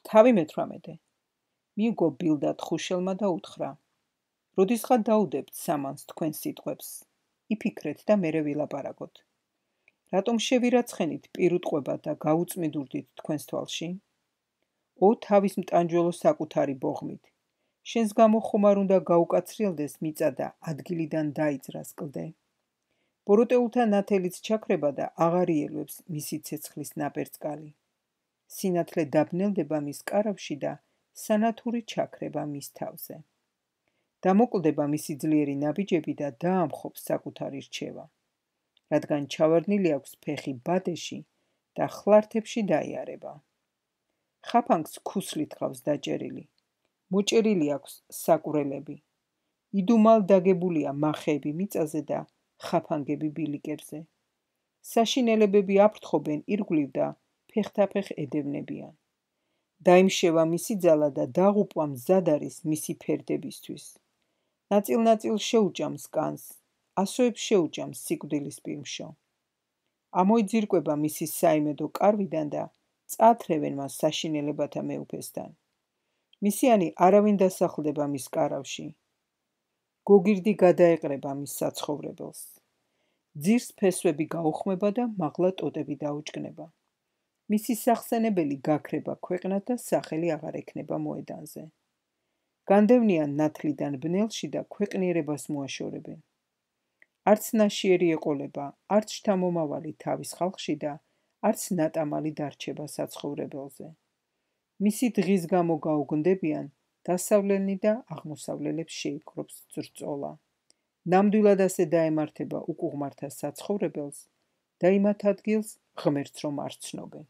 თავი მე-18. მიუგო ბილდა თხუშელმა და უთხრა: როდისღა დაუდებთ სამანს თქვენ სიტყვებს, იფიქრეთ და მერე ვილაპარაკოთ. რატომ შევირაცხენით პირუტყვება და გაუწმიდურდით თქვენს თვალში? ო თავის მტანჯველო საკუთარი ბოღმით, შენს გამო ხომარ უნდა გაუკაცრიელდეს მიწა და ადგილიდან დაიძრას კლდე. ბოროტეულთა ნათელიც ჩაქრება და აღარ იელვებს მისი ცეცხლის ნაპერწკალი. სინათლე დაბნელდება მის კარავში და სანათური ჩაქრება მის თავზე. დამოკლდება მისი ძლიერი ნაბიჯები და დაამხობს საკუთარი რჩევა, რადგან ჩავარდნილი აქვს ფეხი ბადეში და ხლართებში დაიარება. ხაფანგს ქუსლით ყავს დაჭერილი, მოჭერილი აქვს საკურელები. იდუმალ დაგებულია მახეები მიწაზე და ხაფანგები ბილიკებზე. საშინელებები აფრთხობენ ირგვლივ და ფეხთაფეხ ედევნებიან. დაიმშევა მისი ძალა და დაღუპვა მზად არის მისი ფერდებისთვის. ნაწილ-ნაწილ შეუჭამს კანს, ასოებს შეუჭამს სიკვდილის პირმშო. ამოიძირკვება მისი საიმედო კარვიდან და წაათრევენ მას საშინელებათა მეუფესთან. მისიანი არავინ დასახლდება მის კარავში. გოგირდი გადაეყრება მის საცხოვრებელს. ძირს ფესვები გაუხმება და მაღლა ტოტები დაუჭკნება. მისი სახსენებელი გაქრება ქვეყნად და სახელი აღარ ექნება მოედანზე. განდევნიან ნათლიდან ბნელში და ქვეყნიერებას მოაშორებენ. არც ნაშიერი ეყოლება, არც შთამომავალი თავის ხალხში და არც ნატამალი დარჩება საცხოვრებელზე. მისი დღის გამო გაუგნდებიან, დასავლელი და აღმოსავლელებს შეიპყრობს ძრწოლა. ნამდვილად ასე დაემართება უკუღმართა საცხოვრებელს და იმათ ადგილს ღმერთს რომ არ ცნობენ.